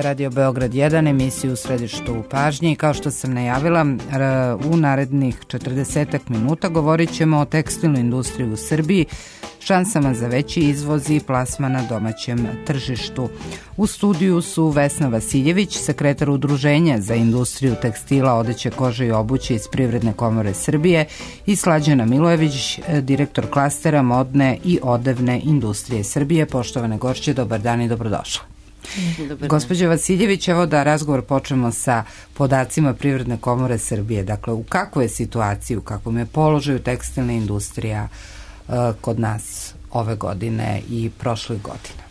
Radio Beograd 1, emisiju u središtu u pažnji i kao što sam najavila, u narednih 40 minuta govorit ćemo o tekstilnoj industriji u Srbiji, šansama za veći izvoz i plasman na domaćem tržištu. U studiju su Vesna Vasiljević, sekretar Udruženja za industriju tekstila, odeće, kože i obuće iz Privredne komore Srbije, i Slađana Milojević, direktor klastera modne i odevne industrije Srbije. Poštovane gošće, dobar dan i dobrodošla. Gospođo Vasiljević, evo da razgovor počnemo sa podacima Privredne komore Srbije. Dakle, u kakvoj je situaciji, u kakvom je položaju tekstilna industrija kod nas ove godine i prošle godine?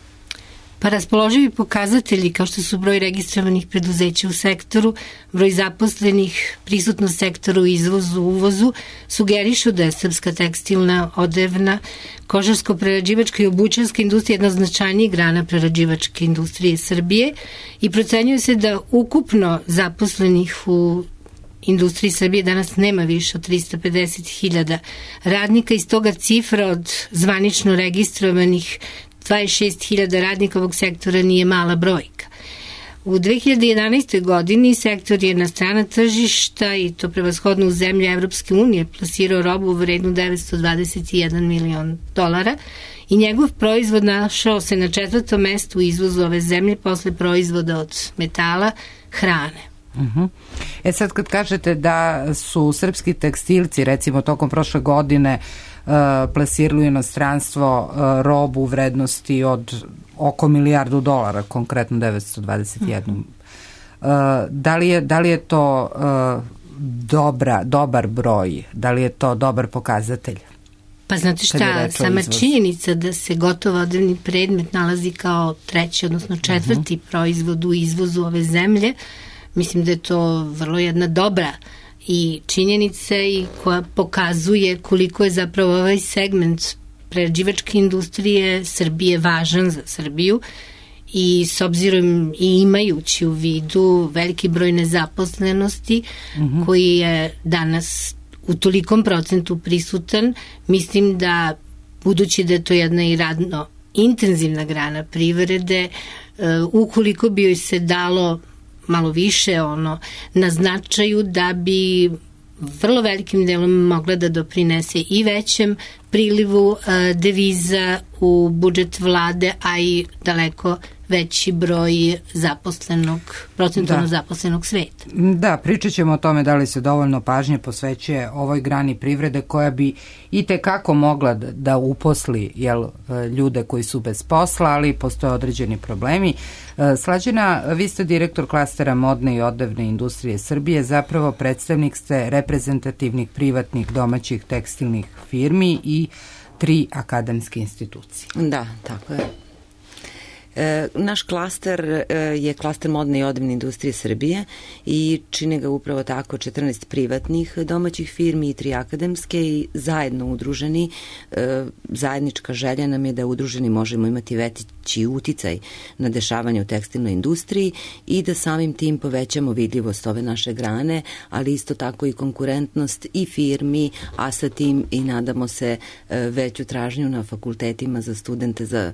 Pa raspoloživi pokazatelji kao što su broj registrovanih preduzeća u sektoru, broj zaposlenih, prisutnost sektora u izvozu, uvozu, sugerišu da je srpska tekstilna, odevna, kožarsko-prerađivačka i obućarska industrija jedna značajnijih grana prerađivačke industrije Srbije i procenjuje se da ukupno zaposlenih u industriji Srbije danas nema više od 350.000 radnika i stoga cifra od zvanično registrovanih 26.000 radnika ovog sektora nije mala brojka. U 2011. godini sektor je na strana tržišta, i to prevashodno u zemlje Evropske unije, plasirao robu u vrednu $921 milion i njegov proizvod našao se na 4. mestu u izvozu ove zemlje posle proizvoda od metala, hrane. Sad kad kažete da su srpski tekstilci recimo tokom prošle godine plasirali u inostranstvo robu u vrednosti od oko $1 milijardu, konkretno 921. Da li je to dobar broj? Da li je to dobar pokazatelj? Pa znate šta, sama činjenica da se gotovo odevni predmet nalazi kao treći, odnosno četvrti proizvod u izvozu ove zemlje, mislim da je to vrlo jedna dobra i činjenica i koja pokazuje koliko je zapravo ovaj segment prerađivačke industrije Srbije važan za Srbiju i s obzirom i imajući u vidu veliki broj nezaposlenosti koji je danas u tolikom procentu prisutan, mislim da budući da je to jedna i radno intenzivna grana privrede, ukoliko bi joj se dalo malo više na značaju da bi vrlo velikim delom mogla da doprinese i većem prilivu deviza u budžet vlade, a i daleko veći broj procentualno zaposlenog sveta. Da, pričat ćemo o tome da li se dovoljno pažnje posvećuje ovoj grani privrede koja bi i tekako mogla da uposli ljude koji su bez posla, ali postoje određeni problemi. Slađana, vi ste direktor klastera modne i odevne industrije Srbije, zapravo predstavnik ste reprezentativnih privatnih domaćih tekstilnih firmi i 3 akademske institucije. Da, tako je. Naš klaster je klaster modne i odevne industrije Srbije i čine ga upravo tako 14 privatnih domaćih firmi i 3 akademske i zajedno udruženi. Zajednička želja nam je da udruženi možemo imati veći uticaj na dešavanje u tekstilnoj industriji i da samim tim povećamo vidljivost ove naše grane, ali isto tako i konkurentnost i firmi, a sa tim i nadamo se veću tražnju na fakultetima za studente, za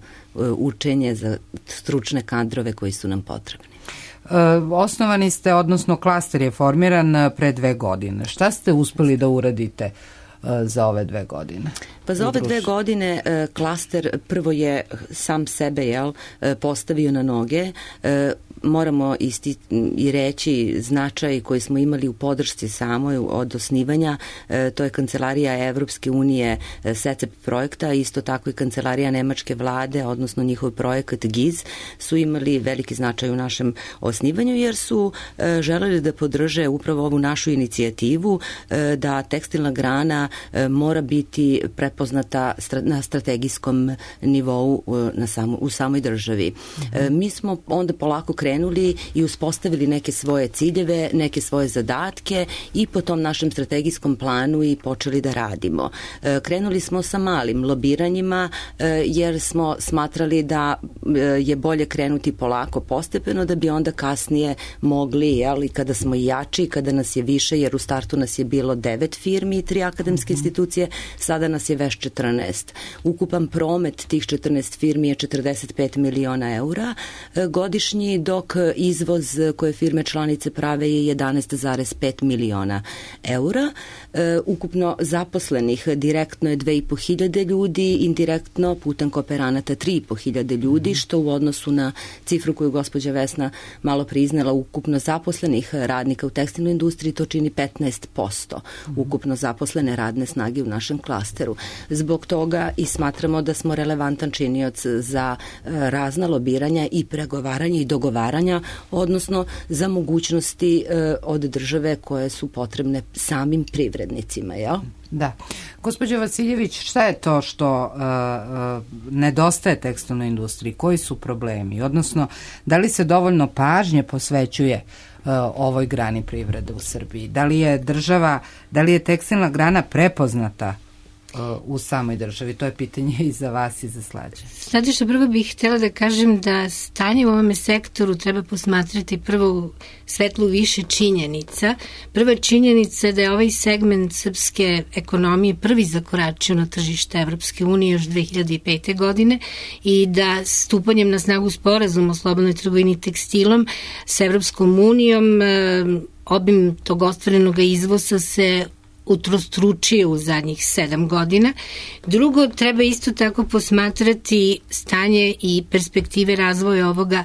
učenje, za stručne kadrove koji su nam potrebni. Osnovani ste, odnosno klaster je formiran pre 2 godine. Šta ste uspeli da uradite za ove 2 godine? Pa za ove 2 godine klaster prvo je sam sebe postavio na noge. Moramo i reći značaj koji smo imali u podršci samoj od osnivanja, to je Kancelarija Evropske unije SECEP projekta, isto tako i Kancelarija Nemačke vlade, odnosno njihov projekat GIZ, su imali veliki značaj u našem osnivanju jer su želeli da podrže upravo ovu našu inicijativu da tekstilna grana mora biti prepoznata na strategijskom nivou u samoj državi. Mi smo onda polako krenuli i uspostavili neke svoje ciljeve, neke svoje zadatke i po tom našem strategijskom planu i počeli da radimo. Krenuli smo sa malim lobiranjima jer smo smatrali da je bolje krenuti polako, postepeno, da bi onda kasnije mogli, kada smo jači, kada nas je više, jer u startu nas je bilo 9 firmi i 3 akademske akademske institucije, sada nas je već 14. Ukupan promet tih 14 firmi je 45 miliona eura godišnji, dok izvoz koje firme članice prave je 11,5 miliona eura. Ukupno zaposlenih direktno je 2.500 ljudi, indirektno putem kooperanata 3.500 ljudi, što u odnosu na cifru koju gospođa Vesna malo priznala ukupno zaposlenih radnika u tekstilnoj industriji, to čini 15% ukupno zaposlene radne snage u našem klasteru. Zbog toga i smatramo da smo relevantan činioc za razna lobiranja i pregovaranja i dogovaranja, odnosno za mogućnosti od države koje su potrebne samim privrednicima, jel? Da. Gospođo Vasiljević, šta je to što nedostaje tekstilnoj industriji? Koji su problemi? Odnosno, da li se dovoljno pažnje posvećuje ovoj grani privrede u Srbiji? Da li je tekstilna grana prepoznata u samoj državi? To je pitanje i za vas i za Slađe. Znate što, prvo bih htjela da kažem da stanje u ovome sektoru treba posmatrati prvo u svetlu više činjenica. Prva činjenica je da je ovaj segment srpske ekonomije prvi zakoračio na tržište Evropske unije još 2005. godine i da stupanjem na snagu sporazuma o slobodnoj trgovini tekstilom sa Evropskom unijom obim tog ostvarenog izvoza se utrostručio u zadnjih 7 godina. Drugo, treba isto tako posmatrati stanje i perspektive razvoja ovoga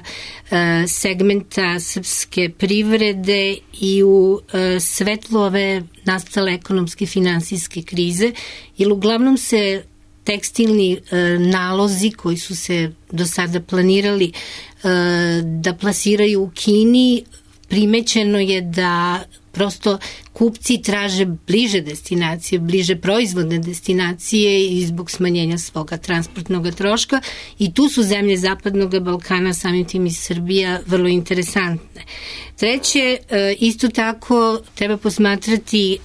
segmenta srpske privrede i u svetlu ove nastale ekonomske finansijske krize, jer uglavnom se tekstilni nalozi koji su se do sada planirali da plasiraju u Kini, primećeno je da prosto kupci traže bliže destinacije, bliže proizvodne destinacije i zbog smanjenja svoga transportnog troška i tu su zemlje Zapadnog Balkana, samim tim i Srbija, vrlo interesantne. Treće, isto tako treba posmatrati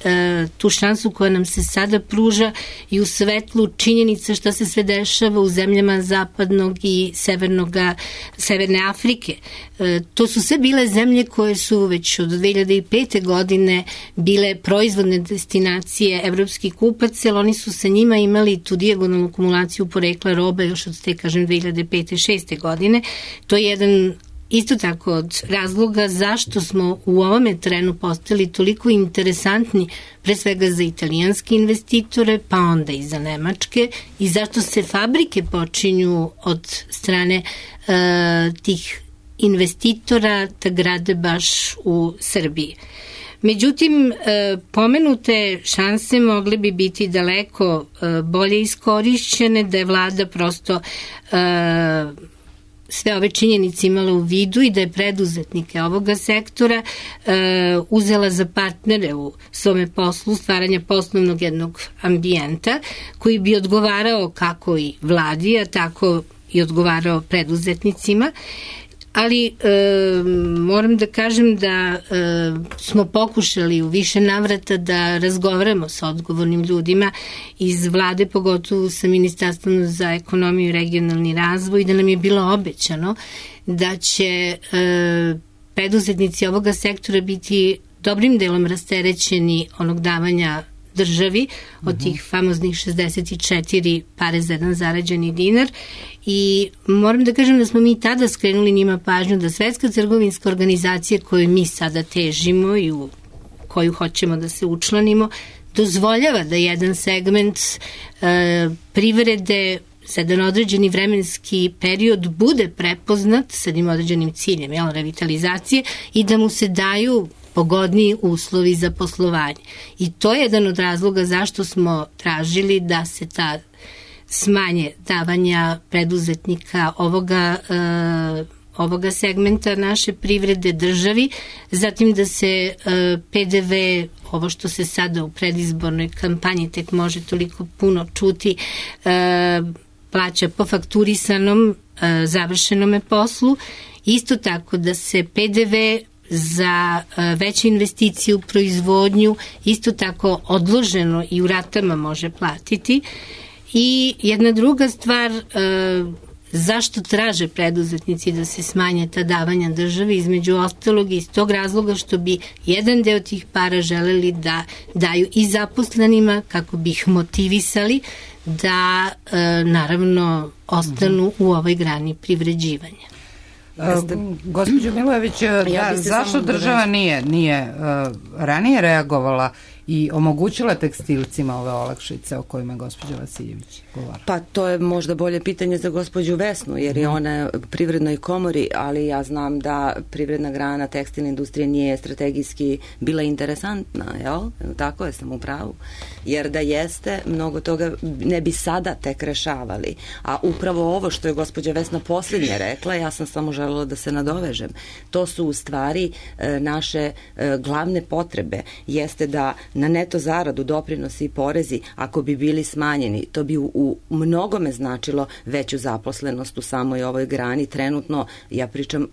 tu šansu koja nam se sada pruža i u svetlu činjenica šta se sve dešava u zemljama Zapadnog i Severne Afrike. To su sve bile zemlje koje su već od 2005. godine bile proizvodne destinacije evropskih kupaca, jer oni su sa njima imali tu dijagonalnu akumulaciju porekla robe još od te, kažem, 2005-2006. godine. To je jedan isto tako od razloga zašto smo u ovome trenu postali toliko interesantni, pre svega za italijanske investitore, pa onda i za nemačke, i zašto se fabrike počinju od strane tih investitora da grade baš u Srbiji. Međutim, pomenute šanse mogle bi biti daleko bolje iskorišćene, da je vlada prosto sve ove činjenice imala u vidu i da je preduzetnike ovoga sektora uzela za partnere u svome poslu, stvaranja poslovnog jednog ambijenta koji bi odgovarao kako i vladi, a tako i odgovarao preduzetnicima. Ali moram da kažem da smo pokušali u više navrata da razgovaramo sa odgovornim ljudima iz vlade, pogotovo sa Ministarstvom za ekonomiju i regionalni razvoj, da nam je bilo obećano da će preduzetnici ovoga sektora biti dobrim delom rasterećeni onog davanja državi od tih famoznih 64 pare za jedan zarađeni dinar, i moram da kažem da smo mi tada skrenuli njima pažnju da Svetska trgovinska organizacija koju mi sada težimo i u koju hoćemo da se učlanimo dozvoljava da jedan segment privrede za jedan određeni vremenski period bude prepoznat sa jednim određenim ciljem, revitalizacije, i da mu se daju pogodniji uslovi za poslovanje. I to je jedan od razloga zašto smo tražili da se ta smanje davanja preduzetnika ovoga segmenta naše privrede državi, zatim da se PDV, ovo što se sada u predizbornoj kampanji tek može toliko puno čuti, plaća po fakturisanom završenome poslu. Isto tako da se PDV za veće investicije u proizvodnju isto tako odloženo i u ratama može platiti. I jedna druga stvar, zašto traže preduzetnici da se smanje ta davanja državi, između ostalog iz tog razloga što bi jedan deo tih para želeli da daju i zaposlenima kako bi ih motivisali da naravno ostanu u ovoj grani privređivanja. Gospođo Milojević, zašto država nije ranije reagovala i omogućila tekstilcima ove olakšice o kojima je gospođa Vasiljević govorila? Pa to je možda bolje pitanje za gospođu Vesnu, jer je ona u privrednoj komori, ali ja znam da privredna grana tekstilne industrije nije strategijski bila interesantna, jel? Tako je, sam u pravu. Jer da jeste, mnogo toga ne bi sada tek rešavali. A upravo ovo što je gospođa Vesna posljednje rekla, ja sam samo želela da se nadovežem. To su u stvari naše glavne potrebe. Jeste da na neto zaradu, doprinosi i porezi, ako bi bili smanjeni, to bi u mnogome značilo veću zaposlenost u samoj ovoj grani. Trenutno, ja pričam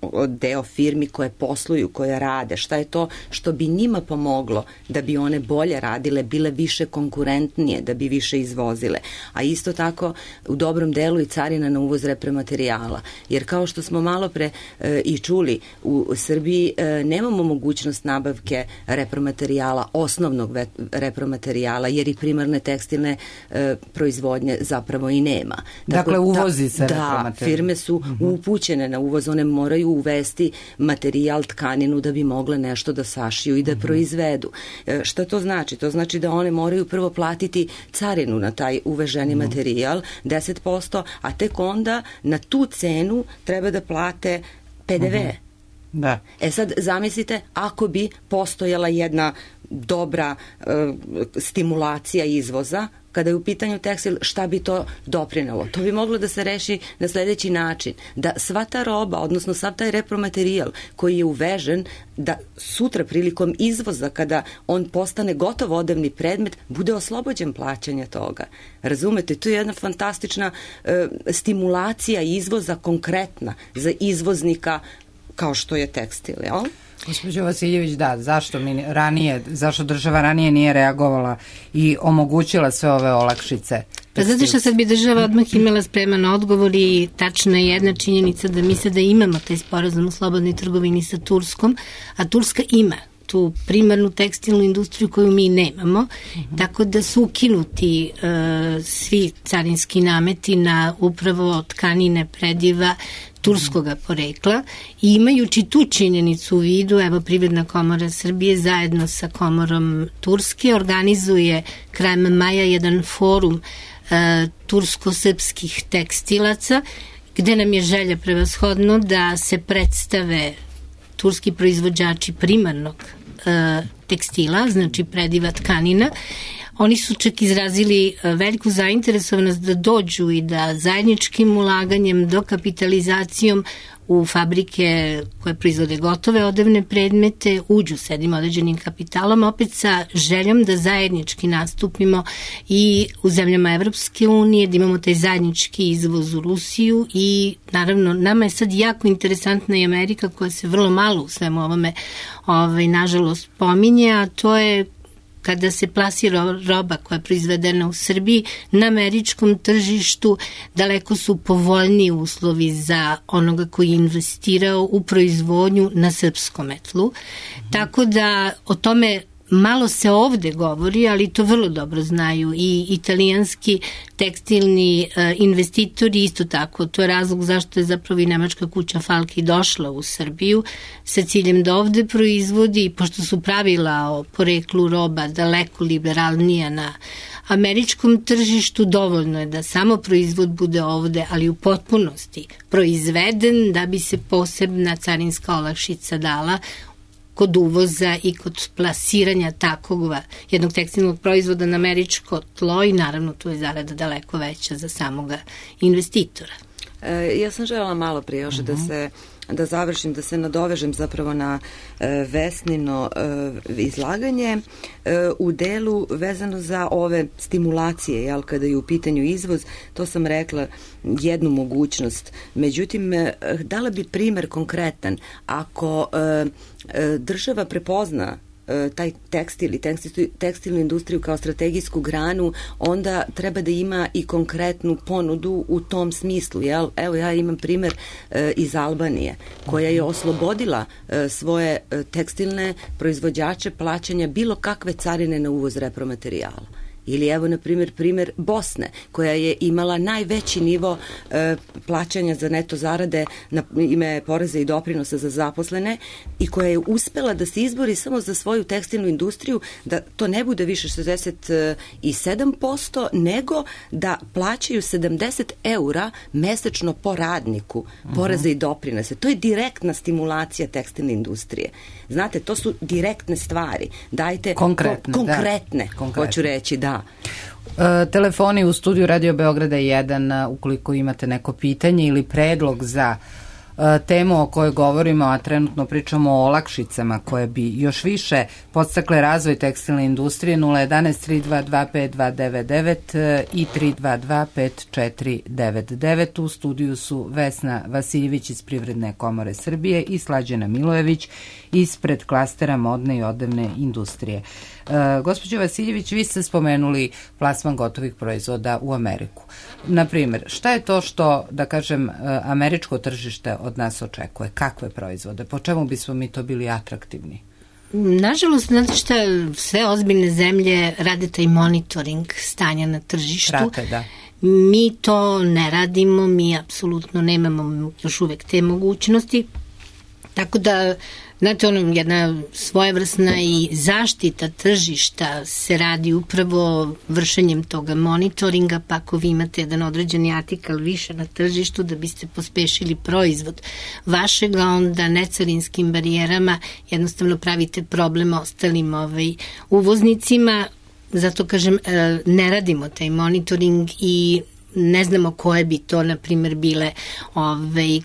o deo firmi koje posluju, koje rade. Šta je to što bi njima pomoglo da bi one bolje radile, bile više konkurentnije, da bi više izvozile. A isto tako u dobrom delu i carina na uvoz repromaterijala. Jer kao što smo malo pre i čuli, u Srbiji nemamo mogućnost nabavke repromaterijala, osnovnog repromaterijala, jer i primarne tekstilne proizvodnje zapravo i nema. Dakle, uvozi se repromaterijal. Da, firme su upućene na uvoz, one moraju uvesti materijal, tkaninu da bi mogle nešto da sašiju i da proizvedu. Šta to znači? To znači da one moraju prvo platiti carinu na taj uveženi materijal, 10%, a tek onda na tu cenu treba da plate PDV. Da. Sad zamislite ako bi postojala jedna dobra stimulacija izvoza, kada je u pitanju tekstil, šta bi to doprinelo? To bi moglo da se reši na sledeći način, da sva ta roba, odnosno sav taj repromaterijal koji je uvežen, da sutra prilikom izvoza, kada on postane gotov odevni predmet, bude oslobođen plaćanja toga. Razumete? To je jedna fantastična stimulacija izvoza konkretna za izvoznika kao što je tekstil, jel? Gospođo Vasiljević, da, zašto država ranije nije reagovala i omogućila sve ove olakšice? Pa zato što sad bi država odmah imala spreman odgovor i tačna je jedna činjenica da mi sada imamo taj sporazum o slobodnoj trgovini sa Turskom, a Turska ima tu primarnu tekstilnu industriju koju mi nemamo, tako da su ukinuti svi carinski nameti na upravo tkanine prediva turskoga porekla i imajući tu činjenicu u vidu, evo Privredna komora Srbije zajedno sa komorom Turske organizuje krajem maja jedan forum tursko-srpskih tekstilaca gde nam je želja prevashodno da se predstave turski proizvođači primarnog tekstila, znači prediva tkanina. Oni su čak izrazili veliku zainteresovanost da dođu i da zajedničkim ulaganjem, dokapitalizacijom u fabrike koje proizvode gotove odevne predmete uđu s jednim određenim kapitalom, opet sa željom da zajednički nastupimo i u zemljama Evropske unije, da imamo taj zajednički izvoz u Rusiju i naravno nama je sad jako interesantna i Amerika koja se vrlo malo u svemu ovome nažalost pominje, a to je kada se plasira roba koja je proizvedena u Srbiji, na američkom tržištu daleko su povoljniji uslovi za onoga koji je investirao u proizvodnju na srpskom tlu. Tako da o tome malo se ovde govori, ali to vrlo dobro znaju i italijanski tekstilni investitori isto tako. To je razlog zašto je zapravo i nemačka kuća Falki došla u Srbiju sa ciljem da ovde proizvodi, pošto su pravila o poreklu roba daleko liberalnija na američkom tržištu, dovoljno je da samo proizvod bude ovde, ali u potpunosti proizveden da bi se posebna carinska olakšica dala kod uvoza i kod plasiranja takvog jednog tekstilnog proizvoda na američko tlo i naravno tu je zarada daleko veća za samoga investitora. Ja sam želela malo prije još da završim, da se nadovežem zapravo na Vesnino izlaganje u delu vezano za ove stimulacije, jel, kada je u pitanju izvoz, to sam rekla jednu mogućnost. Međutim, dala bi primer konkretan. Ako država prepozna taj tekstil i tekstilnu industriju kao strategijsku granu, onda treba da ima i konkretnu ponudu u tom smislu. Jel? Evo ja imam primer iz Albanije, koja je oslobodila svoje tekstilne proizvođače plaćanja bilo kakve carine na uvoz repromaterijala. Ili evo, na primjer Bosne, koja je imala najveći nivo plaćanja za neto zarade na ime poreza i doprinosa za zaposlene i koja je uspela da se izbori samo za svoju tekstilnu industriju, da to ne bude više 67%, nego da plaćaju 70 € mesečno po radniku poreza i doprinose. To je direktna stimulacija tekstilne industrije. Znate, to su direktne stvari. Dajte konkretne, hoću reći, da. Telefoni u studiju Radio Beograda 1, ukoliko imate neko pitanje ili predlog za temu o kojoj govorimo, a trenutno pričamo o olakšicama koje bi još više podstakle razvoj tekstilne industrije, 011-322-5299 i 322-5499. U studiju su Vesna Vasiljević iz Privredne komore Srbije i Slađana Milojević ispred klastera modne i odevne industrije. Gospođo Vasiljević, vi ste spomenuli plasman gotovih proizvoda u Ameriku. Naprimjer, šta je to što, da kažem, američko tržište od nas očekuje? Kakve proizvode? Po čemu bismo mi to bili atraktivni? Nažalost, znate šta, sve ozbiljne zemlje rade taj monitoring stanja na tržištu. Prate, da. Mi to ne radimo, mi apsolutno nemamo još uvek te mogućnosti. Tako da, znate, jedna svojevrsna i zaštita tržišta se radi upravo vršenjem toga monitoringa, pa ako vi imate jedan određeni artikal više na tržištu da biste pospešili proizvod vašega, onda necarinskim barijerama jednostavno pravite problem ostalim uvoznicima. Zato kažem, ne radimo taj monitoring i ne znamo koje bi to, na primjer, bile,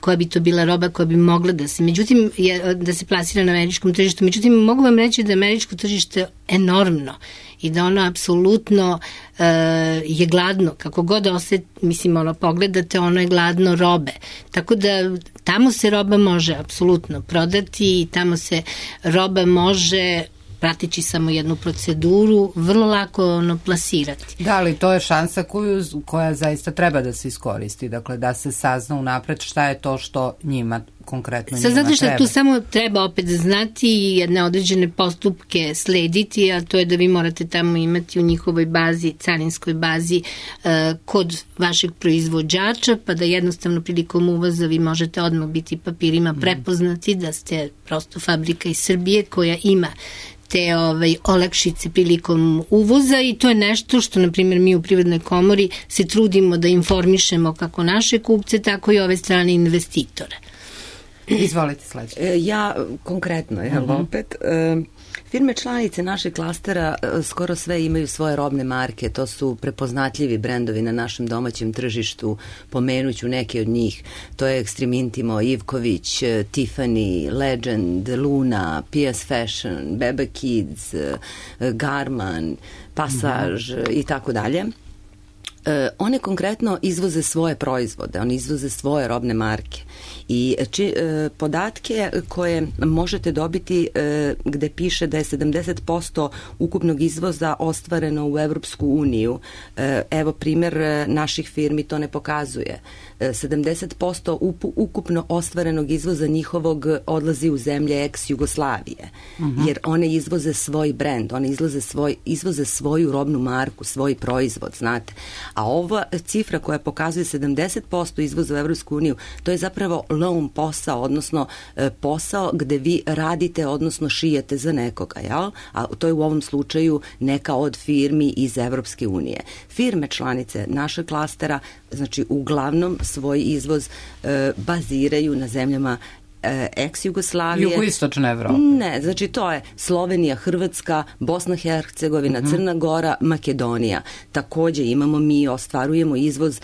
koja bi to bila roba koja bi mogla da se, međutim, da se plasira na američkom tržištu. Međutim, mogu vam reći da je američko tržište enormno i da ono apsolutno je gladno, kako god pogledate, ono je gladno robe. Tako da tamo se roba može apsolutno prodati i tamo se roba može, pratići samo jednu proceduru, vrlo lako plasirati. Da, ali to je šansa koja zaista treba da se iskoristi, dakle da se sazna unapred šta je to što njima konkretno njima treba. Znate što, tu samo treba opet znati i jedne određene postupke slediti, a to je da vi morate tamo imati u njihovoj bazi, carinskoj bazi, kod vašeg proizvođača, pa da jednostavno prilikom uvoza vi možete odmah biti papirima prepoznati da ste prosto fabrika iz Srbije koja ima te olakšice prilikom uvoza i to je nešto što, na primjer, mi u Privrednoj komori se trudimo da informišemo kako naše kupce, tako i ove strane investitore. Izvolite, sledeće. Ja konkretno, opet, firme članice našeg klastera skoro sve imaju svoje robne marke, to su prepoznatljivi brendovi na našem domaćem tržištu, pomenuću neke od njih, to je Extreme Intimo, Ivković, Tiffany, Legend, Luna, PS Fashion, Beba Kids, Garman, Passage i tako dalje. One konkretno izvoze svoje proizvode, one izvoze svoje robne marke i podatke koje možete dobiti gde piše da je 70% ukupnog izvoza ostvareno u Evropsku uniju, evo primjer naših firmi to ne pokazuje. 70% ukupno ostvarenog izvoza njihovog odlazi u zemlje ex-Jugoslavije, jer one izvoze svoj brend, one izvoze svoju robnu marku, svoj proizvod, znate. A ova cifra koja pokazuje 70% izvoza u Evropsku uniju, to je zapravo loan posao, odnosno posao gde vi radite, odnosno šijete za nekoga, jel? A to je u ovom slučaju neka od firmi iz Evropske unije. Firme članice našeg klastera, znači uglavnom svoj izvoz baziraju na zemljama ex-Jugoslavije. Jugoistočne Evrope. Ne, znači to je Slovenija, Hrvatska, Bosna, Hercegovina, Crna Gora, Makedonija. Takođe mi ostvarujemo izvoz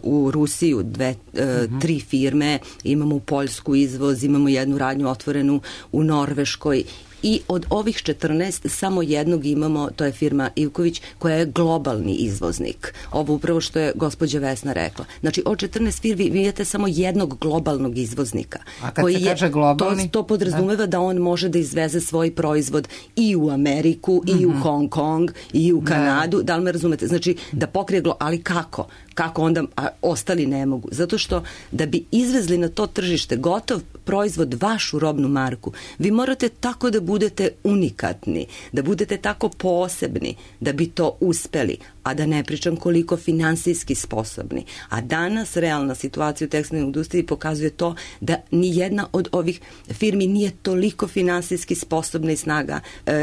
u Rusiju, 3 firme, imamo u Poljsku izvoz, imamo jednu radnju otvorenu u Norveškoj i od ovih 14 samo jednog imamo, to je firma Ivković, koja je globalni izvoznik. Ovo upravo što je gospođa Vesna rekla. Znači, od 14 firmi vi imate samo jednog globalnog izvoznika. A kad se kaže globalni? To podrazumeva da on može da izveze svoj proizvod i u Ameriku, i u Hong Kong, i u Kanadu. Da li me razumete? Znači, da pokrije ali kako? Kako onda ostali ne mogu? Zato što da bi izvezli na to tržište gotov proizvod, vašu robnu marku, vi morate tako da budete unikatni, da budete tako posebni da bi to uspeli, a da ne pričam koliko finansijski sposobni. A danas realna situacija u tekstilnoj industriji pokazuje to da ni jedna od ovih firmi nije toliko finansijski sposobna i snaga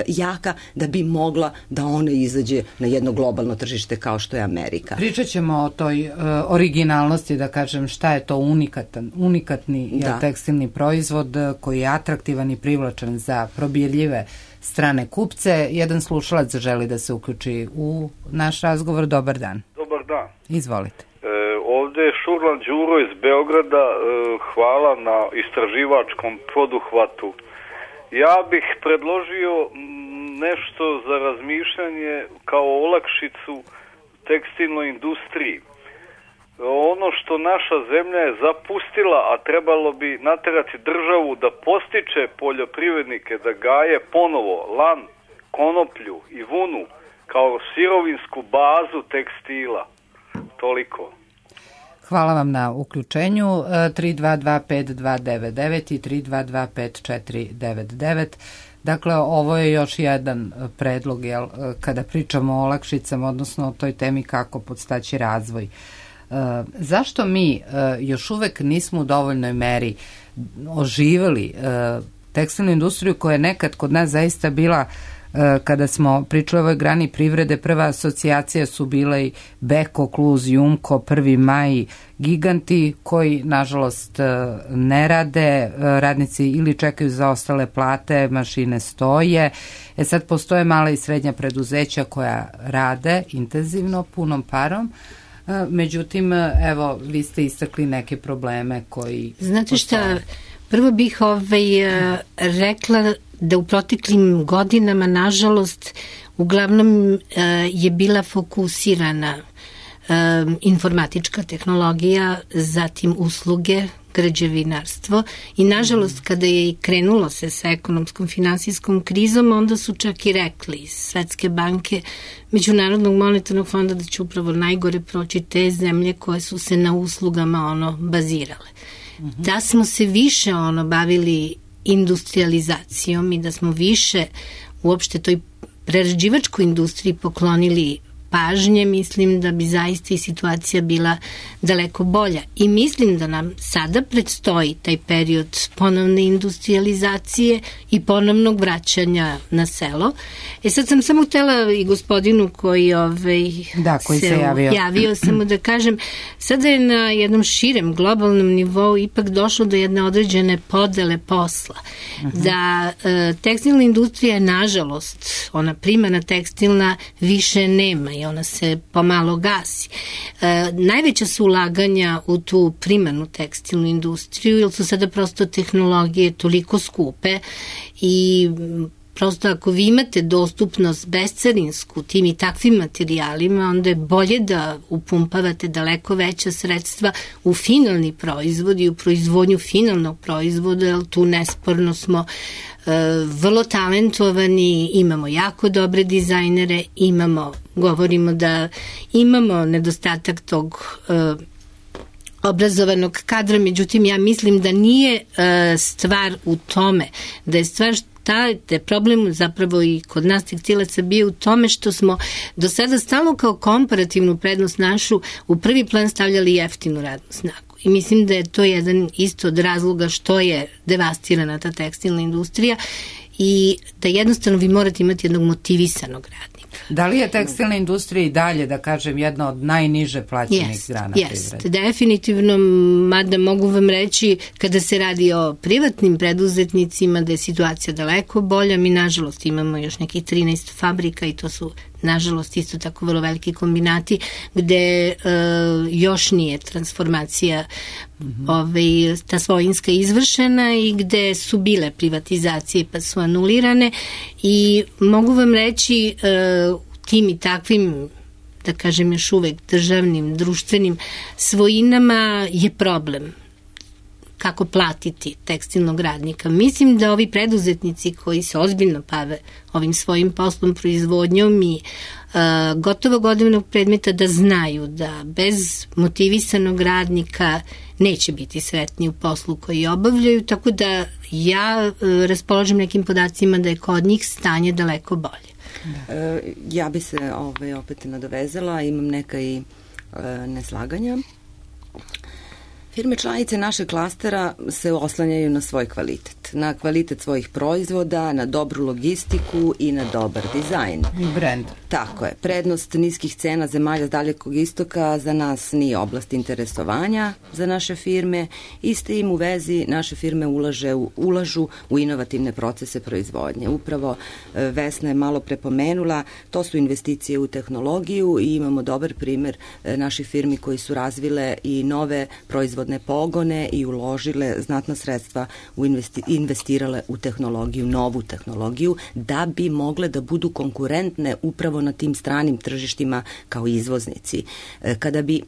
jaka da bi mogla da ona izađe na jedno globalno tržište kao što je Amerika. Pričat ćemo o toj originalnosti, da kažem, šta je to unikatni tekstilni proizvod koji je atraktivan i privlačan za probirljive strane kupce. Jedan slušalac želi da se uključi u naš razgovor. Dobar dan. Dobar dan. Izvolite. Ovde je Šurlan Đuro iz Beograda. Hvala na istraživačkom poduhvatu. Ja bih predložio nešto za razmišljanje kao olakšicu tekstilnoj industriji. Ono što naša zemlja je zapustila, a trebalo bi naterati državu da postiče poljoprivrednike da gaje ponovo lan, konoplju i vunu kao sirovinsku bazu tekstila. Toliko. Hvala vam na uključenju. 3225299 i 3225499. Dakle, ovo je još jedan predlog, kada pričamo o olakšicama, odnosno o toj temi kako podstaći razvoj. Zašto mi još uvek nismo u dovoljnoj meri oživeli tekstilnu industriju koja je nekad kod nas zaista bila, kada smo pričali o ovoj grani privrede, prva asocijacija su bile i Beko, Kluz, Jumko, 1. maj, giganti koji nažalost ne rade, radnici ili čekaju za ostale plate, mašine stoje. Sad postoje mala i srednja preduzeća koja rade intenzivno, punom parom. Međutim, evo, vi ste istakli neke probleme koji... Znate šta, prvo bih rekla da u proteklim godinama, nažalost, uglavnom je bila fokusirana informatička tehnologija, zatim usluge, građevinarstvo i nažalost kada je i krenulo se sa ekonomskom finansijskom krizom, onda su čak i rekli iz Svetske banke, Međunarodnog monetarnog fonda da će upravo najgore proći te zemlje koje su se na uslugama bazirale. Da smo se više bavili industrializacijom i da smo više uopšte toj prerađivačkoj industriji poklonili pažnje, mislim da bi zaista i situacija bila daleko bolja. I mislim da nam sada predstoji taj period ponovne industrializacije i ponovnog vraćanja na selo. Sad sam samo htela i gospodinu koji se javio samo da kažem, sada je na jednom širem globalnom nivou ipak došlo do jedne određene podele posla. Da tekstilna industrija je, nažalost, ona primarna tekstilna više nema i ona se pomalo gasi. Najveća su ulaganja u tu primarnu tekstilnu industriju, jer su sada prosto tehnologije toliko skupe i prosto ako vi imate dostupnost bescarinsku tim i takvim materijalima, onda je bolje da upumpavate daleko veća sredstva u finalni proizvod i u proizvodnju finalnog proizvoda, jer tu nesporno smo vrlo talentovani, imamo jako dobre dizajnere, govorimo da imamo nedostatak tog obrazovanog kadra, međutim ja mislim da nije stvar u tome, da je stvar da je problem zapravo i kod nas tekstilaca bio u tome što smo do sada stalno kao komparativnu prednost našu u prvi plan stavljali jeftinu radnu snagu. I mislim da je to jedan isto od razloga što je devastirana ta tekstilna industrija i da jednostavno vi morate imati jednog motivisanog radnika. Da li je tekstilna industrija i dalje, da kažem, jedna od najniže plaćenih grana privrede? Jeste, definitivno, mada mogu vam reći, kada se radi o privatnim preduzetnicima, da je situacija daleko bolja. Mi, nažalost, imamo još nekih 13 fabrika i to su nažalost isto tako vrlo veliki kombinati gde još nije transformacija ta svojinska izvršena i gde su bile privatizacije pa su anulirane i mogu vam reći tim i takvim, da kažem još uvek državnim, društvenim svojinama je problem kako platiti tekstilnog radnika. Mislim da ovi preduzetnici koji se ozbiljno bave ovim svojim poslom, proizvodnjom i gotovo gotovog predmeta da znaju da bez motivisanog radnika neće biti sretni u poslu koji obavljaju, tako da ja raspolažem nekim podacima da je kod njih stanje daleko bolje. Ja bi se opet nadovezala, imam neka i neslaganja. Firme članice našeg klastera se oslanjaju na svoj kvalitet, na kvalitet svojih proizvoda, na dobru logistiku i na dobar dizajn. I brand. Tako je. Prednost niskih cena zemalja s Dalekog istoka za nas nije oblast interesovanja za naše firme i s tim u vezi naše firme ulažu u inovativne procese proizvodnje. Upravo Vesna je malo prepomenula, to su investicije u tehnologiju i imamo dobar primer naših firmi koji su razvile i nove proizvodne pogone i uložile znatna sredstva, investirale u tehnologiju, novu tehnologiju, da bi mogle da budu konkurentne upravo na tim stranim tržištima kao izvoznici. Kada bi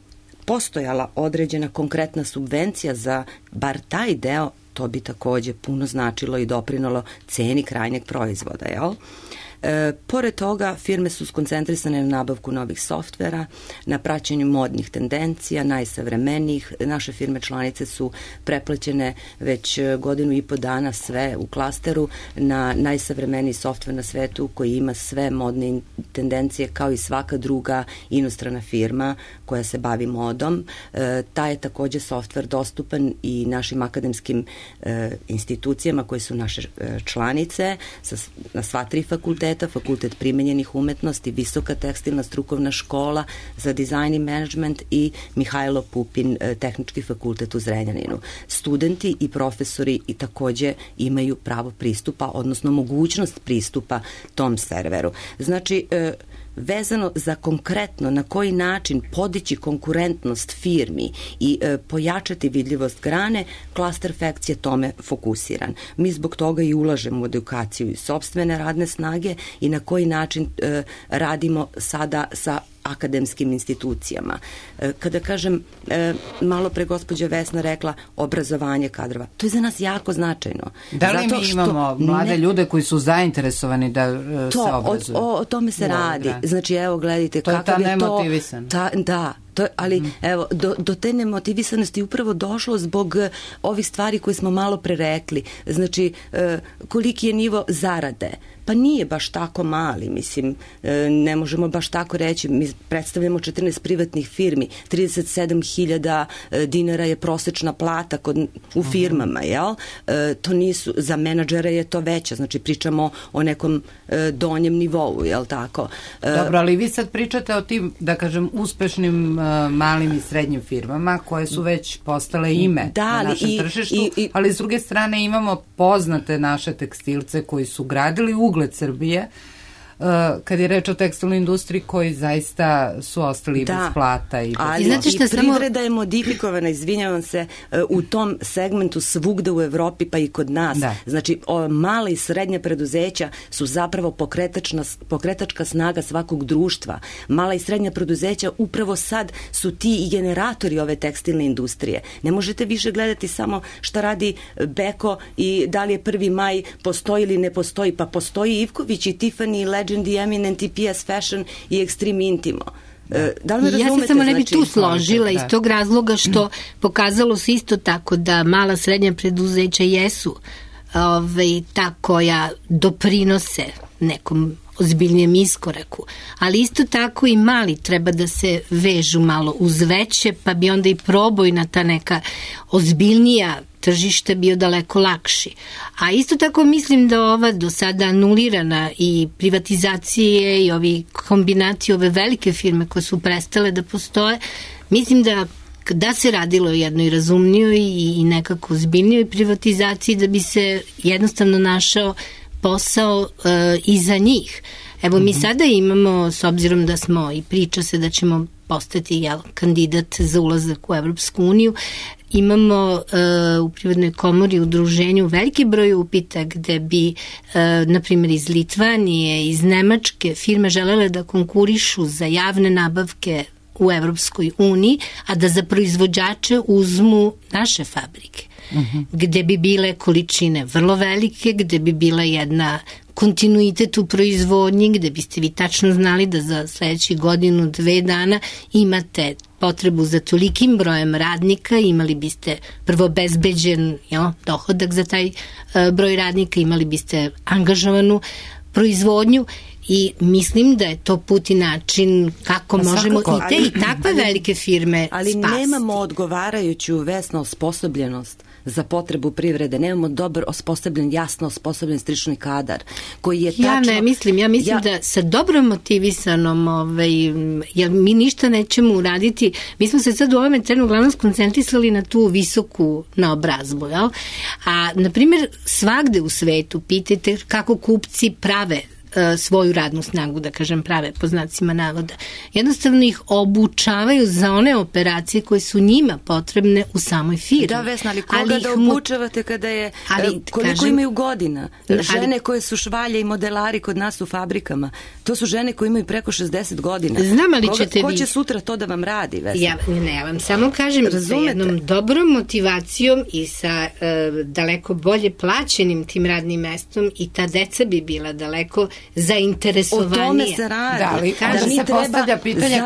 postojala određena konkretna subvencija za bar taj deo, to bi takođe puno značilo i doprinalo ceni krajnjeg proizvoda, jel? Pored toga, firme su skoncentrisane na nabavku novih softvera, na praćenju modnih tendencija, najsavremenijih. Naše firme članice su preplaćene već 1.5 dana sve u klasteru na najsavremeniji softver na svetu koji ima sve modne tendencije kao i svaka druga inostrana firma koja se bavi modom. Taj je takođe softver dostupan i našim akademskim institucijama koje su naše članice na sva 3 fakulteta, Fakultet primenjenih umetnosti, Visoka tekstilna strukovna škola za dizajn i menadžment i Mihajlo Pupin, Tehnički fakultet u Zrenjaninu. Studenti i profesori i takođe imaju pravo pristupa, odnosno mogućnost pristupa tom serveru. Znači, vezano za konkretno na koji način podići konkurentnost firmi i pojačati vidljivost grane, Cluster Facts je tome fokusiran. Mi zbog toga i ulažemo u edukaciju i sopstvene radne snage i na koji način radimo sada sa akademskim institucijama. Kada kažem, malo pre gospođa Vesna rekla obrazovanje kadrova, to je za nas jako značajno. Da li mi imamo mlade ljude koji su zainteresovani da se obrazuju? O tome se radi. Znači, evo, gledajte kakav je to... To je ta nemotivisan. Da, ali evo, do te nemotivisanosti upravo došlo zbog ovih stvari koje smo malo pre rekli. Znači, koliki je nivo zarade? Pa nije baš tako mali, mislim, ne možemo baš tako reći. Mi predstavljamo 14 privatnih firmi, 37.000 dinara je prosečna plata u firmama, jel? To nisu, za menadžere je to veća, znači pričamo o nekom donjem nivou, jel tako? Dobro, ali vi sad pričate o tim, da kažem, uspešnim malim i srednjim firmama koje su već postale ime na našem tržištu, ali s druge strane imamo poznate naše tekstilce koji su gradili ugled Srbije kad je reč o tekstilnoj industriji koji zaista su ostali bez plata. Ali i privreda je modifikovana, izvinjavam se, u tom segmentu svugde u Evropi pa i kod nas. Znači, mala i srednja preduzeća su zapravo pokretačka snaga svakog društva. Mala i srednja preduzeća upravo sad su ti i generatori ove tekstilne industrije. Ne možete više gledati samo šta radi Beko i da li je 1. maj postoji ili ne postoji. Pa postoji Ivković i Tiffany i Legend i Eminent i PS Fashion i Extreme Intimo. Da li me razumete? Ja se samo ne bi tu složila iz tog razloga što pokazalo se isto tako da mala srednja preduzeća jesu ta koja doprinose nekom ozbiljnijem iskoraku, ali isto tako i mali treba da se vežu malo uz veće, pa bi onda i probojna ta neka ozbiljnija tržište bio daleko lakši. A isto tako mislim da ova do sada anulirana i privatizacije i ovi kombinati, ove velike firme koje su prestale da postoje, mislim da se radilo o jednoj razumnijoj i nekako ozbiljnijoj privatizaciji, da bi se jednostavno našao posao i za njih. Evo mi sada imamo, s obzirom da smo i priča se da ćemo postati kandidat za ulazak u Evropsku uniju, imamo u Privrednoj komori udruženju veliki broj upita gde bi, na primjer, iz Litvanije, iz Nemačke firme želele da konkurišu za javne nabavke u Evropskoj uniji, a da za proizvođače uzmu naše fabrike, gde bi bile količine vrlo velike, gde bi bila jedna kontinuitet u proizvodnji, gde biste vi tačno znali da za sledeći godinu, 2 dana imate potrebu za tolikim brojem radnika, imali biste prvo bezbeđen dohodak za taj broj radnika, imali biste angažovanu proizvodnju i mislim da je to put i način kako možemo i te i takve velike firme spasiti. Ali nemamo odgovarajuću Vesna osposobljenost za potrebu privrede, nemamo dobro osposobljen, jasno osposobljen stručni kadar koji je tačno... Ja mislim da sa dobro motivisanom, jer mi ništa nećemo uraditi, mi smo se sad u ovome trenu uglavnom skoncentrisali na tu visoku naobrazbu, jel? A, na primjer, svagde u svetu pitajte kako kupci prave svoju radnu snagu, da kažem prave po znacima navoda. Jednostavno ih obučavaju za one operacije koje su njima potrebne u samoj firmi. Da, Vesna, ali koga da obučavate kada je, koliko imaju godina? Žene koje su švalje i modelari kod nas u fabrikama, to su žene koje imaju preko 60 godina. Znam, ali ćete Ko će sutra to da vam radi, Vesna? Ja vam samo kažem, sa jednom dobrom motivacijom i sa daleko bolje plaćenim tim radnim mestom i ta deca bi bila daleko zainteresovanije. O tome se radi. Da, ali se postavlja pitanje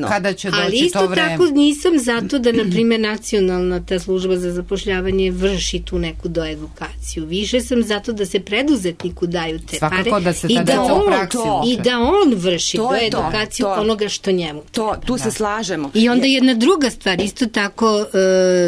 kada će doći to vreme. Ali isto tako nisam zato da, na primjer, nacionalna ta služba za zapošljavanje vrši tu neku doedukaciju. Više sam zato da se preduzetniku daju te pare i da on vrši doedukaciju onoga što njemu. Tu se slažemo. I onda jedna druga stvar, isto tako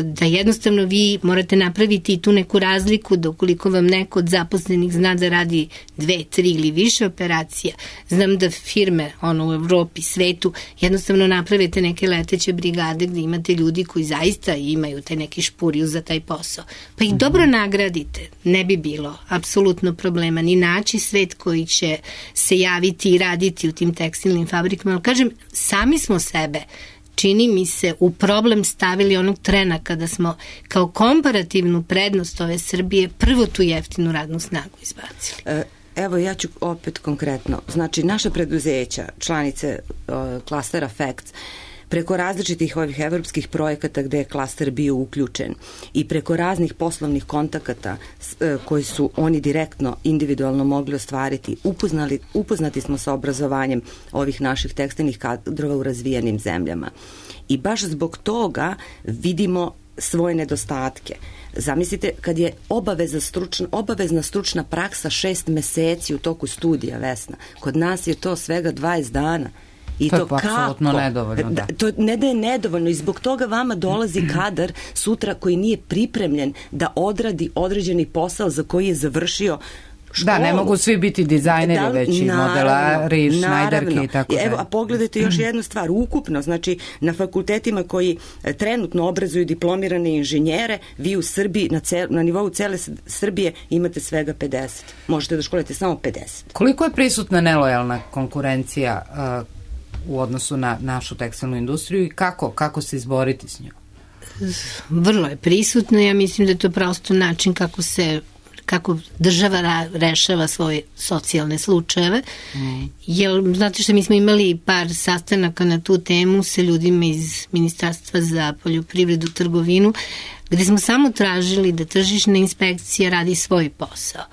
da jednostavno vi morate napraviti tu neku razliku da ukoliko vam neko od zaposlenih zna da radi 2, 3 ili više operacija. Znam da firme u Evropi, svetu, jednostavno napravite neke leteće brigade gde imate ljudi koji zaista imaju taj neki špuriju za taj posao. Pa ih dobro nagradite. Ne bi bilo apsolutno problema ni naći svet koji će se javiti i raditi u tim tekstilnim fabrikama. Ali kažem, sami smo sebe, čini mi se, u problem stavili onog trena kada smo kao komparativnu prednost ove Srbije prvo tu jeftinu radnu snagu izbacili. Evo, ja ću opet konkretno. Znači, naše preduzeća, članice klastera FACTS, preko različitih ovih evropskih projekata gde je klaster bio uključen i preko raznih poslovnih kontakata koji su oni direktno, individualno mogli ostvariti, upoznati smo sa obrazovanjem ovih naših tekstilnih kadrova u razvijenim zemljama. I baš zbog toga svoje nedostatke. Zamislite, kad je obavezna stručna praksa 6 meseci u toku studija, Vesna, kod nas je to svega 20 dana. I to je apsolutno nedovoljno. Da. To ne da je nedovoljno i zbog toga vama dolazi kadar sutra koji nije pripremljen da odradi određeni posao za koji je završio školu. Da, ne mogu svi biti dizajneri, već i modelari, šnajderke i tako dalje. Evo, a pogledajte još jednu stvar, ukupno, znači na fakultetima koji trenutno obrazuju diplomirane inženjere, vi u Srbiji, na nivou cele Srbije imate svega 50. Možete da školite samo 50. Koliko je prisutna nelojalna konkurencija u odnosu na našu tekstilnu industriju i kako se izboriti s njom? Vrlo je prisutno, ja mislim da je to prosto način kako država rešava svoje socijalne slučajeve. Jer, znate što, mi smo imali par sastanaka na tu temu sa ljudima iz Ministarstva za poljoprivredu, trgovinu, gde smo samo tražili da tržišna inspekcija radi svoj posao.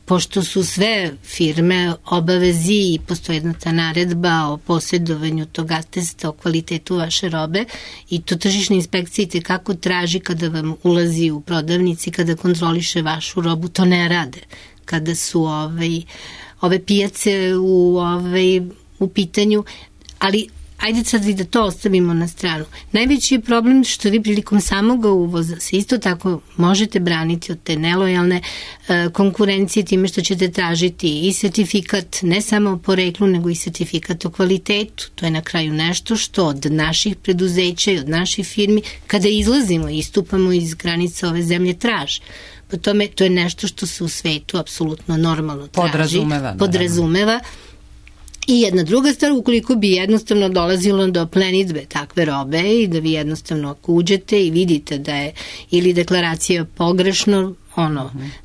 Pošto su sve firme obavezi i postoji jedna ta naredba o posjedovanju tog atesta o kvalitetu vaše robe i to tržišna inspekcija kako traži kada vam ulazi u prodavnici, kada kontroliše vašu robu, to ne rade. Kada su ove pijace u pitanju, ali ajde sad da to ostavimo na stranu. Najveći je problem što vi prilikom samog uvoza se isto tako možete braniti od te nelojalne konkurencije time što ćete tražiti i sertifikat ne samo o poreklu, nego i sertifikat o kvalitetu. To je na kraju nešto što od naših preduzeća i od naših firmi kada izlazimo i istupamo iz granica ove zemlje traže. Po tome, to je nešto što se u svetu apsolutno normalno traži. Podrazumeva. I jedna druga stvar, ukoliko bi jednostavno dolazilo do plenidbe takve robe i da vi jednostavno ako uđete i vidite da je ili deklaracija pogrešno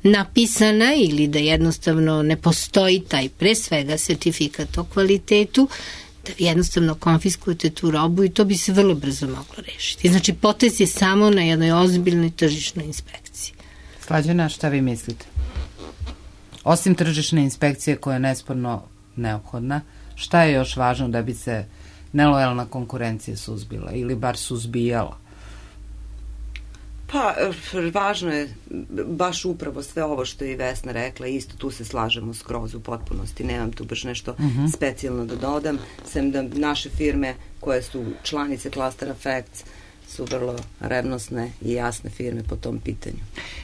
napisana ili da jednostavno ne postoji taj pre svega sertifikat o kvalitetu, da vi jednostavno konfiskujete tu robu i to bi se vrlo brzo moglo rešiti. Znači, potez je samo na jednoj ozbiljnoj tržišnoj inspekciji. Slađana, šta vi mislite? Osim tržišne inspekcije koja je nesporno neophodna, šta je još važno da bi se nelojalna konkurencija suzbila ili bar suzbijala? Pa, važno je baš upravo sve ovo što je i Vesna rekla, isto tu se slažemo skroz u potpunosti, nemam tu baš nešto specijalno da dodam, sem da naše firme koje su članice Cluster Effects su vrlo revnosne i jasne firme po tom pitanju.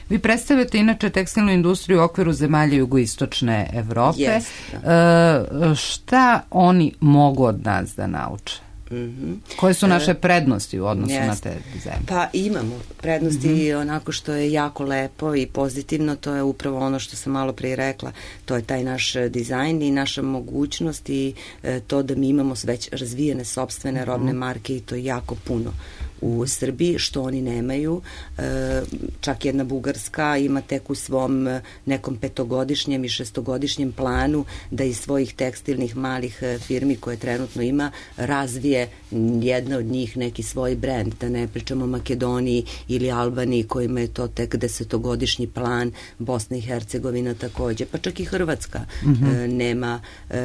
Vi predstavljate inače tekstilnu industriju u okviru zemalja jugoistočne Evrope. Yes, da. Šta oni mogu od nas da nauče? Koje su naše prednosti u odnosu na te zemlje? Pa imamo prednosti onako što je jako lepo i pozitivno, to je upravo ono što sam malo prije rekla, to je taj naš dizajn i naša mogućnost i to da mi imamo već razvijene sopstvene robne marke i to je jako puno u Srbiji, što oni nemaju. Čak jedna Bugarska ima tek u svom nekom 5-godišnjem i 6-godišnjem planu da iz svojih tekstilnih malih firmi koje trenutno ima razvije jedna od njih neki svoj brend, da ne pričamo o Makedoniji ili Albaniji kojima je to tek 10-godišnji plan, Bosna i Hercegovina takođe, pa čak i Hrvatska nema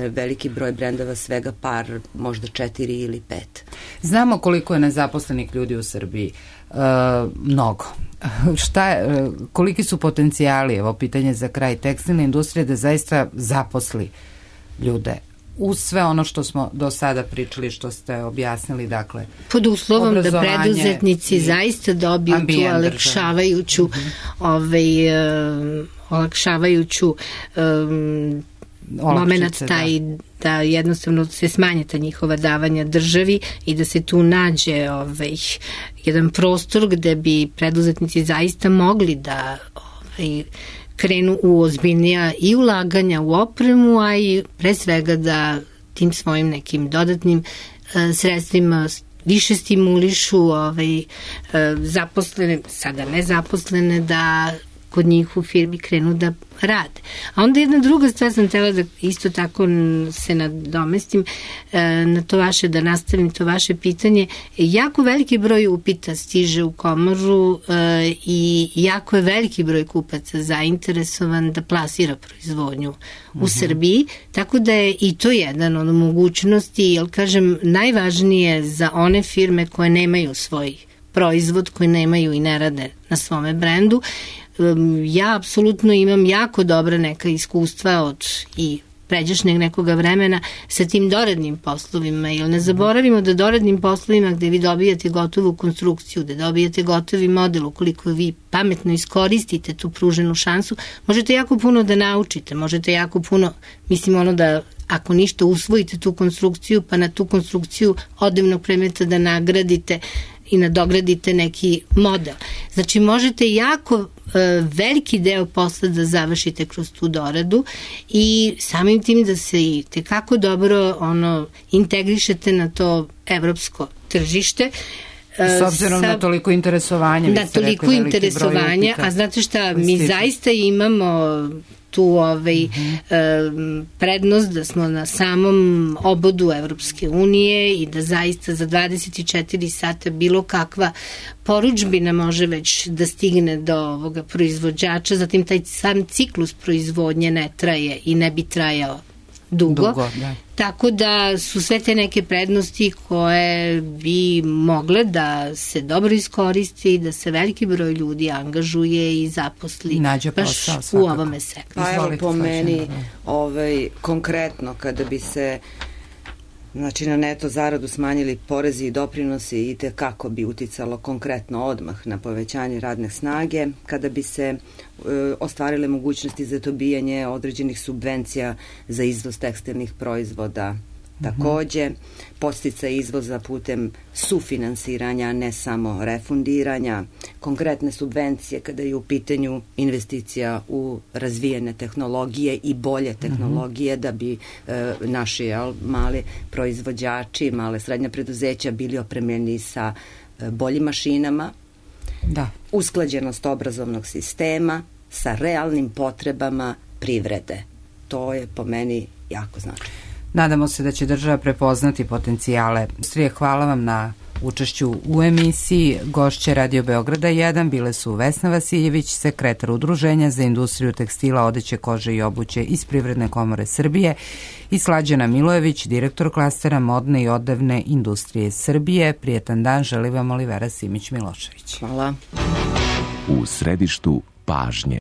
veliki broj brendova, svega par, možda 4 ili 5. Znamo koliko je nezaposlenih ljudi u Srbiji. Mnogo. Koliki su potencijali, evo pitanje za kraj, tekstilne industrije da zaista zaposli ljude uz sve ono što smo do sada pričali, što ste objasnili, dakle, pod uslovom da preduzetnici zaista dobiju tu olakšavajuću moment taj da jednostavno se smanje ta njihova davanja državi i da se tu nađe jedan prostor gde bi preduzetnici zaista mogli da krenu u ozbiljnija i ulaganja u opremu, a i pre svega da tim svojim nekim dodatnim sredstvima više stimulišu zaposlene, sada nezaposlene, da kod njih u firmi krenu da rade. A onda jedna druga stvar sam htjela da isto tako se nadomestim na to vaše, da nastavim to vaše pitanje. Jako veliki broj upita stiže u komoru i jako je veliki broj kupaca zainteresovan da plasira proizvodnju u Srbiji, tako da je i to jedan od mogućnosti, jer kažem, najvažnije za one firme koje nemaju svoj proizvod, koji nemaju i ne rade na svome brendu. Ja apsolutno imam jako dobra neka iskustva od i pređašnjeg nekoga vremena sa tim doradnim poslovima, jer ne zaboravimo da doradnim poslovima gde vi dobijate gotovu konstrukciju, gde dobijate gotovi model, ukoliko vi pametno iskoristite tu pruženu šansu, možete jako puno da naučite, možete jako puno, mislim da ako ništa usvojite tu konstrukciju, pa na tu konstrukciju odevnog predmeta da nagradite i nadogradite neki model. Znači, možete jako veliki deo posla da završite kroz tu doradu i samim tim da se i tekako dobro integrišete na to evropsko tržište. S obzirom na toliko interesovanja. Na toliko interesovanja, a znate šta, mi zaista imamo tu prednost da smo na samom obodu Evropske unije i da zaista za 24 sata bilo kakva poručbina može već da stigne do ovoga proizvođača, zatim taj sam ciklus proizvodnje ne traje i ne bi trajao dugo. Tako da su sve te neke prednosti koje bi mogle da se dobro iskoristi i da se veliki broj ljudi angažuje i zaposli baš u ovome sektoru. Pa evo po meni konkretno kada bi se na neto zaradu smanjili porezi i doprinosi i kako bi uticalo konkretno odmah na povećanje radne snage, kada bi se ostvarile mogućnosti za dobijanje određenih subvencija za izvoz tekstilnih proizvoda takođe, podsticaj izvoza putem sufinansiranja, ne samo refundiranja, konkretne subvencije kada je u pitanju investicija u razvijene tehnologije i bolje tehnologije da bi naši mali proizvođači, male srednje preduzeća bili opremljeni sa boljim mašinama, usklađenost obrazovnog sistema sa realnim potrebama privrede. To je po meni jako značajno. Nadamo se da će država prepoznati potencijale. Hvala vam na učešću u emisiji. Gošće Radio Beograda 1 bile su Vesna Vasiljević, sekretar Udruženja za industriju tekstila, odeće, kože i obuće iz Privredne komore Srbije, i Slađana Milojević, direktor klastera modne i odevne industrije Srbije. Prijetan dan želi vam Olivera Simić-Milošević. Hvala. U središtu pažnje.